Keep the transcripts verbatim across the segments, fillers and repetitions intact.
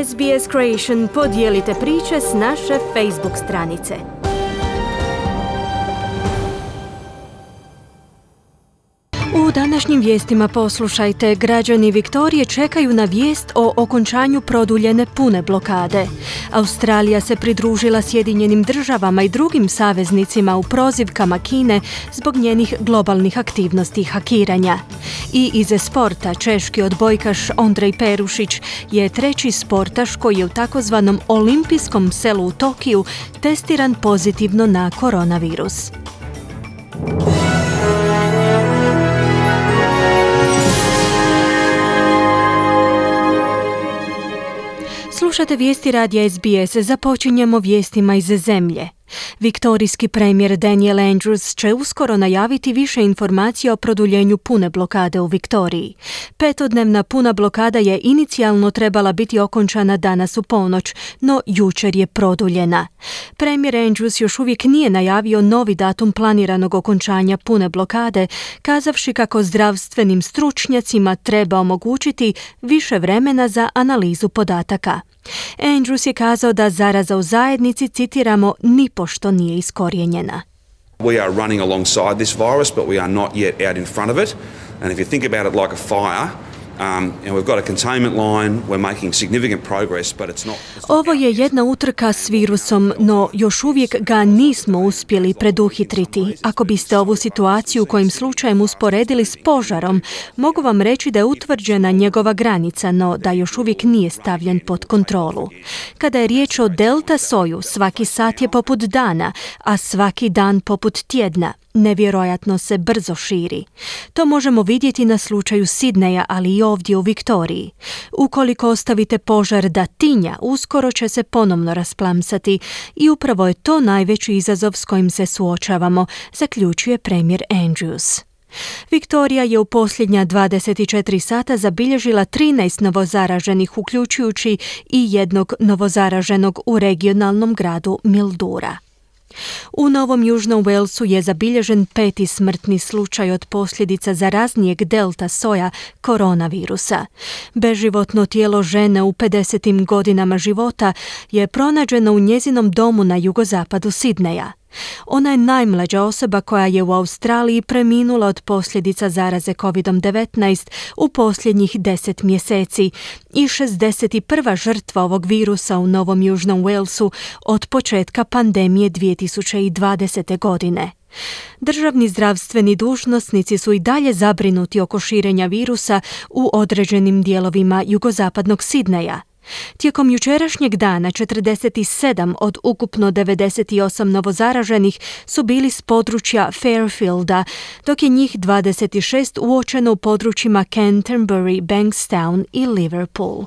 S B S Creation podijelite priče s naše Facebook stranice. U današnjim vijestima poslušajte, građani Viktorije čekaju na vijest o okončanju produljene pune blokade. Australija se pridružila Sjedinjenim državama i drugim saveznicima u prozivkama Kine zbog njenih globalnih aktivnosti hakiranja. I iz sporta češki odbojkaš Ondrej Perušić je treći sportaš koji je u takozvanom olimpijskom selu u Tokiju testiran pozitivno na koronavirus. Slušate vijesti radija S B S, započinjemo vijestima iz zemlje. Viktorijski premijer Daniel Andrews će uskoro najaviti više informacija o produljenju pune blokade u Viktoriji. Petodnevna puna blokada je inicijalno trebala biti okončana danas u ponoć, no jučer je produljena. Premijer Andrews još uvijek nije najavio novi datum planiranog okončanja pune blokade, kazavši kako zdravstvenim stručnjacima treba omogućiti više vremena za analizu podataka. Andrews je kazao da zaraza u zajednici, citiramo, nipošto nije iskorijenjena. We are running alongside this virus, but we are not yet out in front of it. And if you think about it like a fire, Um, and we've got a containment line, we're making significant progress, but it's not... It's not Ovo je jedna utrka s virusom, no još uvijek ga nismo uspjeli preduhitriti. Ako biste ovu situaciju kojim slučajem usporedili s požarom, mogu vam reći da je utvrđena njegova granica, no da još uvijek nije stavljen pod kontrolu. Kada je riječ o delta soju, svaki sat je poput dana, a svaki dan poput tjedna. Nevjerojatno se brzo širi. To možemo vidjeti na slučaju Sidneja, ali i ovdje u Viktoriji. Ukoliko ostavite požar da tinja, uskoro će se ponovno rasplamsati i upravo je to najveći izazov s kojim se suočavamo, zaključuje premijer Andrews. Viktorija je u posljednja dvadeset četiri sata zabilježila trinaest novozaraženih, uključujući i jednog novozaraženog u regionalnom gradu Mildura. U Novom Južnom Walesu je zabilježen peti smrtni slučaj od posljedica zaraznijeg delta soja koronavirusa. Beživotno tijelo žene u pedesetim godinama života je pronađeno u njezinom domu na jugozapadu Sidneja. Ona je najmlađa osoba koja je u Australiji preminula od posljedica zaraze kovid devetnaest u posljednjih deset mjeseci i šezdeset prva žrtva ovog virusa u Novom Južnom Walesu od početka pandemije dvije tisuće dvadesete. godine. Državni zdravstveni dužnosnici su i dalje zabrinuti oko širenja virusa u određenim dijelovima jugozapadnog Sidneja. Tijekom jučerašnjeg dana četrdeset sedam od ukupno devedeset osam novozaraženih su bili s područja Fairfielda, dok je njih dvadeset šest uočeno u područjima Canterbury, Bankstown i Liverpool.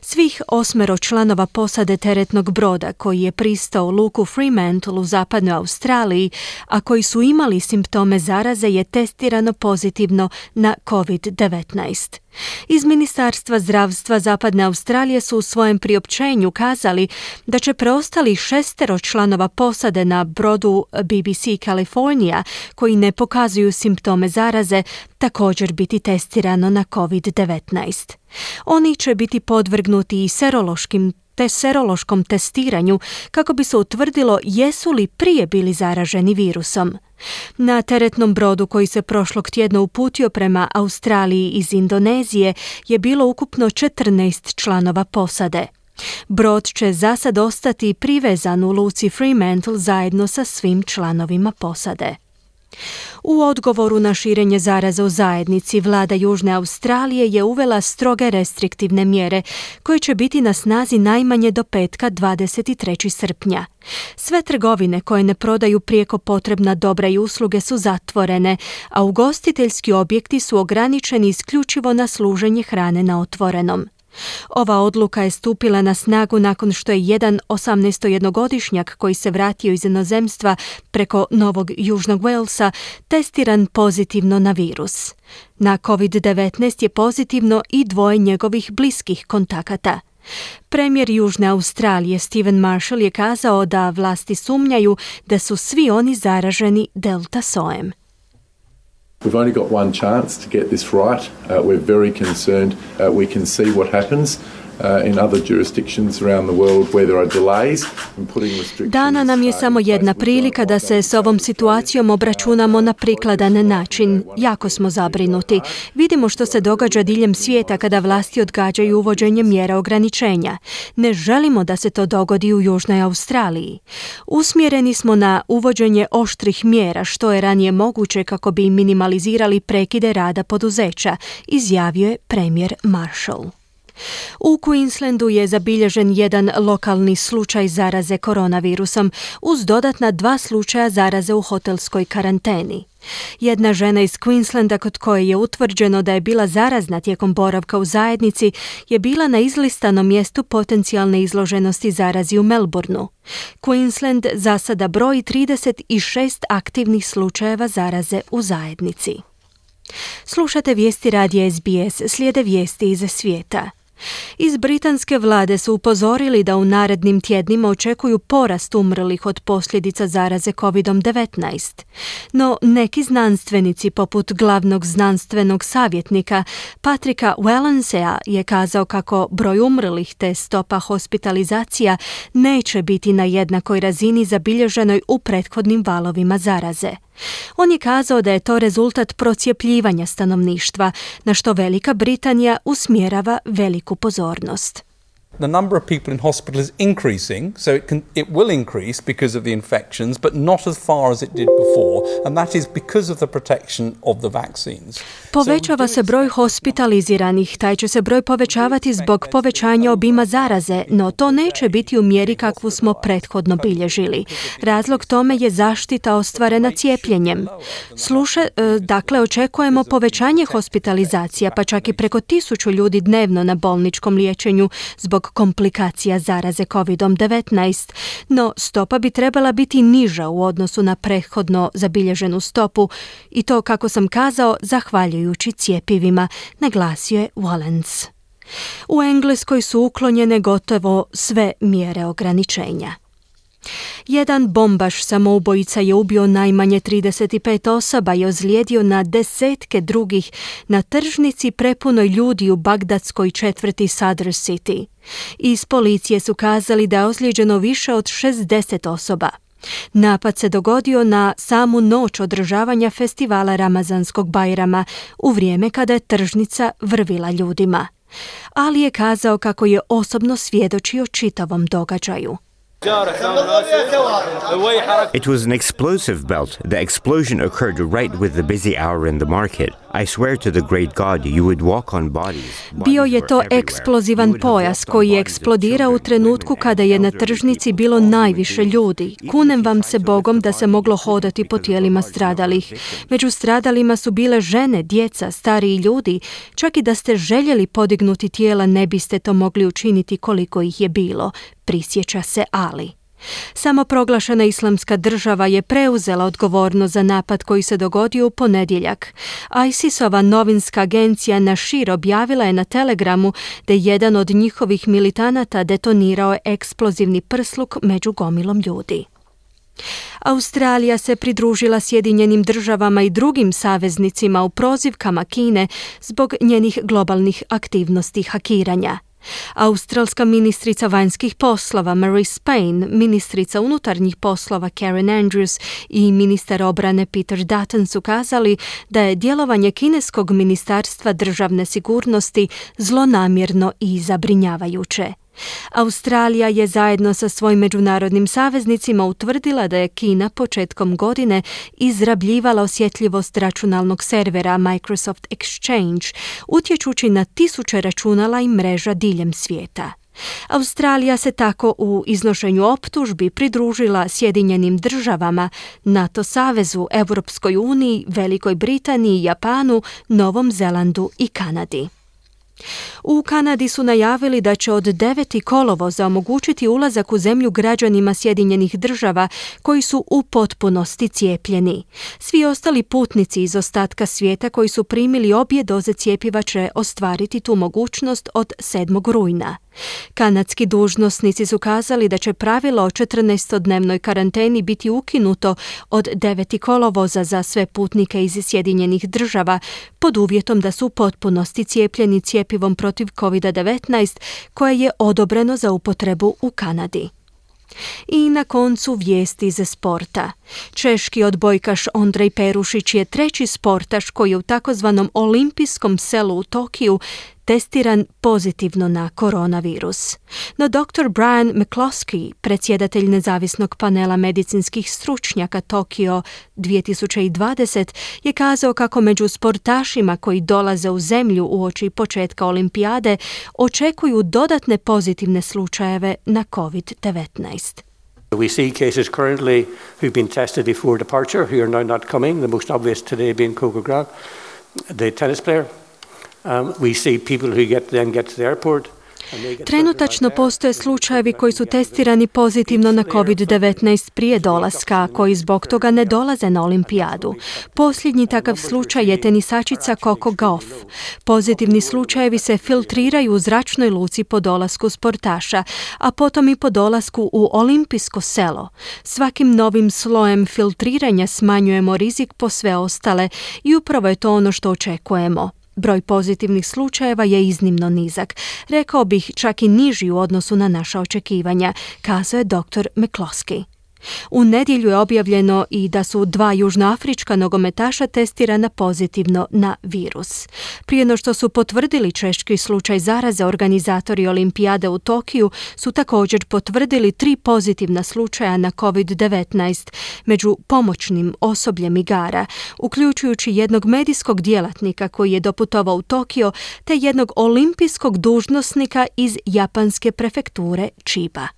Svih osmero članova posade teretnog broda koji je pristao u luku Fremantle u zapadnoj Australiji, a koji su imali simptome zaraze, je testirano pozitivno na kovid devetnaest. Iz Ministarstva zdravstva Zapadne Australije su u svojem priopćenju kazali da će preostali šestero članova posade na brodu B B C California koji ne pokazuju simptome zaraze također biti testirano na kovid devetnaest. Oni će biti podvrgnuti i serološkim te serološkom testiranju kako bi se utvrdilo jesu li prije bili zaraženi virusom. Na teretnom brodu koji se prošlog tjedna uputio prema Australiji iz Indonezije je bilo ukupno četrnaest članova posade. Brod će zasad ostati privezan u luci Fremantle zajedno sa svim članovima posade. U odgovoru na širenje zaraze u zajednici, vlada Južne Australije je uvela stroge restriktivne mjere koje će biti na snazi najmanje do petka dvadeset trećeg srpnja. Sve trgovine koje ne prodaju prijeko potrebna dobra i usluge su zatvorene, a ugostiteljski objekti su ograničeni isključivo na služenje hrane na otvorenom. Ova odluka je stupila na snagu nakon što je jedan osamnaestogodišnjak koji se vratio iz inozemstva preko Novog Južnog Walesa testiran pozitivno na virus. Na kovid devetnaest je pozitivno i dvoje njegovih bliskih kontakata. Premijer Južne Australije Stephen Marshall je kazao da vlasti sumnjaju da su svi oni zaraženi delta sojem. We've only got one chance to get this right. Uh, we're very concerned. Uh, we can see what happens. uh, in other jurisdictions around the world where there are delays in putting restrictions. Dana nam je samo jedna prilika da se s ovom situacijom obračunamo na prikladan način. Jako smo zabrinuti. Vidimo što se događa diljem svijeta kada vlasti odgađaju uvođenje mjera ograničenja. Ne želimo da se to dogodi u Južnoj Australiji. Usmjereni smo na uvođenje oštrih mjera što je ranije moguće kako bi minimalizirali prekide rada poduzeća, izjavio je premijer Marshall. U Queenslandu je zabilježen jedan lokalni slučaj zaraze koronavirusom uz dodatna dva slučaja zaraze u hotelskoj karanteni. Jedna žena iz Queenslanda kod koje je utvrđeno da je bila zarazna tijekom boravka u zajednici je bila na izlistanom mjestu potencijalne izloženosti zarazi u Melbourneu. Queensland za sada broji trideset šest aktivnih slučajeva zaraze u zajednici. Slušate vijesti radija S B S, slijede vijesti iz svijeta. Iz britanske vlade su upozorili da u narednim tjednima očekuju porast umrlih od posljedica zaraze covid devetnaest. No neki znanstvenici poput glavnog znanstvenog savjetnika Patricka Wallensea je kazao kako broj umrlih te stopa hospitalizacija neće biti na jednakoj razini zabilježenoj u prethodnim valovima zaraze. On je kazao da je to rezultat procjepljivanja stanovništva, na što Velika Britanija usmjerava veliku pozornost. The number of people in hospital is increasing, so it can it will increase because of the infections, but not as far as it did before, and that is because of the protection of the vaccines. Povećava se broj hospitaliziranih, taj će se broj povećavati zbog povećanja obima zaraze, no to neće biti u mjeri kakvu smo prethodno bilježili. Razlog tome je zaštita ostvarena cijepljenjem. Sluša, dakle, očekujemo povećanje hospitalizacija, pa čak i preko tisuću ljudi dnevno na bolničkom liječenju zbog komplikacija zaraze covid devetnaest, no stopa bi trebala biti niža u odnosu na prethodno zabilježenu stopu i to, kako sam kazao, zahvaljujući cjepivima, naglasio je Wallens. U Engleskoj su uklonjene gotovo sve mjere ograničenja. Jedan bombaš samoubojica je ubio najmanje trideset pet osoba i ozlijedio na desetke drugih na tržnici prepunoj ljudi u bagdadskoj četvrti Sadr City. Iz policije su kazali da je ozlijeđeno više od šezdeset osoba. Napad se dogodio na samu noć održavanja festivala Ramazanskog Bajrama u vrijeme kada je tržnica vrvila ljudima. Ali je kazao kako je osobno svjedočio čitavom događaju. It was an explosive belt. The explosion occurred right with the busy hour in the market. I swear to the great God, you would walk on bodies. Bio je to eksplozivan pojas koji je eksplodirao u trenutku kada je na tržnici bilo najviše ljudi. Kunem vam se Bogom da se moglo hodati po tijelima stradalih. Među stradalima su bile žene, djeca, stariji ljudi. Čak i da ste željeli podignuti tijela, ne biste to mogli učiniti koliko ih je bilo, prisjeća se Ali. Samoproglašena islamska država je preuzela odgovornost za napad koji se dogodio u ponedjeljak. ISIS-ova novinska agencija Nashir objavila je na Telegramu da je jedan od njihovih militanata detonirao eksplozivni prsluk među gomilom ljudi. Australija se pridružila Sjedinjenim državama i drugim saveznicima u prozivkama Kine zbog njenih globalnih aktivnosti hakiranja. Australska ministrica vanjskih poslova Marise Payne, ministrica unutarnjih poslova Karen Andrews i ministar obrane Peter Dutton su kazali da je djelovanje kineskog ministarstva državne sigurnosti zlonamjerno i zabrinjavajuće. Australija je zajedno sa svojim međunarodnim saveznicima utvrdila da je Kina početkom godine izrabljivala osjetljivost računalnog servera Microsoft Exchange, utječući na tisuće računala i mreža diljem svijeta. Australija se tako u iznošenju optužbi pridružila Sjedinjenim državama, NATO savezu, Europskoj uniji, Velikoj Britaniji, Japanu, Novom Zelandu i Kanadi. U Kanadi su najavili da će od deveti kolovoza omogućiti ulazak u zemlju građanima Sjedinjenih država koji su u potpunosti cijepljeni. Svi ostali putnici iz ostatka svijeta koji su primili obje doze cjepiva će ostvariti tu mogućnost od sedmog rujna. Kanadski dužnosnici su kazali da će pravilo o četrnaestodnevnoj karanteni biti ukinuto od deveti kolovoza za sve putnike iz Sjedinjenih država pod uvjetom da su u potpunosti cijepljeni cjepivom protiv kovid devetnaest koje je odobreno za upotrebu u Kanadi. I na koncu vijesti iz sporta. Češki odbojkaš Ondrej Perušić je treći sportaš koji je u takozvanom olimpijskom selu u Tokiju testiran pozitivno na koronavirus. No doktor Brian McCloskey, predsjedatelj nezavisnog panela medicinskih stručnjaka Tokio dvije tisuće dvadeset, je kazao kako među sportašima koji dolaze u zemlju uoči početka olimpijade očekuju dodatne pozitivne slučajeve na kovid devetnaest. We see cases currently who've been tested before departure who are now not coming, the most obvious today being Coco Graf, the tennis player. Um, we see people who get, then get to the airport. Trenutačno postoje slučajevi koji su testirani pozitivno na kovid devetnaest prije dolaska, koji zbog toga ne dolaze na olimpijadu. Posljednji takav slučaj je tenisačica Coco Gauff. Pozitivni slučajevi se filtriraju u zračnoj luci po dolasku sportaša, a potom i po dolasku u olimpijsko selo. Svakim novim slojem filtriranja smanjujemo rizik po sve ostale i upravo je to ono što očekujemo. Broj pozitivnih slučajeva je iznimno nizak, rekao bih čak i niži u odnosu na naša očekivanja, kazao je doktor McCloskey. U nedjelju je objavljeno i da su dva južnoafrička nogometaša testirana pozitivno na virus. Prije no što su potvrdili češki slučaj zaraze, organizatori olimpijade u Tokiju su također potvrdili tri pozitivna slučaja na kovid devetnaest među pomoćnim osobljem igara, uključujući jednog medijskog djelatnika koji je doputovao u Tokio te jednog olimpijskog dužnosnika iz japanske prefekture Chiba.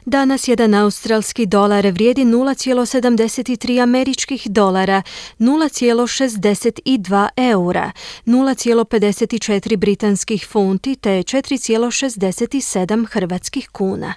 Danas jedan australski dolar vrijedi nula zarez sedamdeset tri američkih dolara, nula zarez šezdeset dva eura, nula zarez pedeset četiri britanskih funti te četiri zarez šezdeset sedam hrvatskih kuna.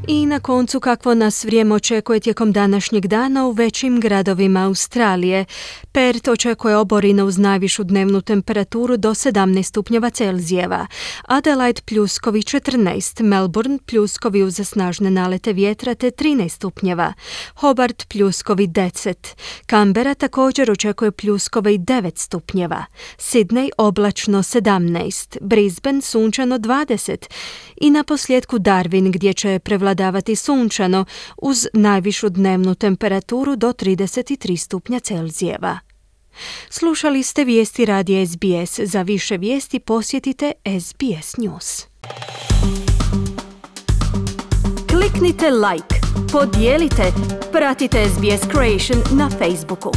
I na koncu kakvo nas vrijeme očekuje tijekom današnjeg dana u većim gradovima Australije. Perth očekuje oborina uz najvišu dnevnu temperaturu do sedamnaest stupnjeva Celzijeva. Adelaide pljuskovi četrnaest, Melbourne pljuskovi uz snažne nalete vjetra te trinaest stupnjeva. Hobart pljuskovi deset. Canberra također očekuje pljuskove i devet stupnjeva. Sydney oblačno sedamnaest, Brisbane sunčano dvadeset i na posljedku Darwin gdje će prevladavati sunčano uz najvišu dnevnu temperaturu do trideset tri stupnja Celzijeva. Slušali ste vijesti radija S B S. Za više vijesti posjetite S B S News. Kliknite like, podijelite, pratite S B S Creation na Facebooku.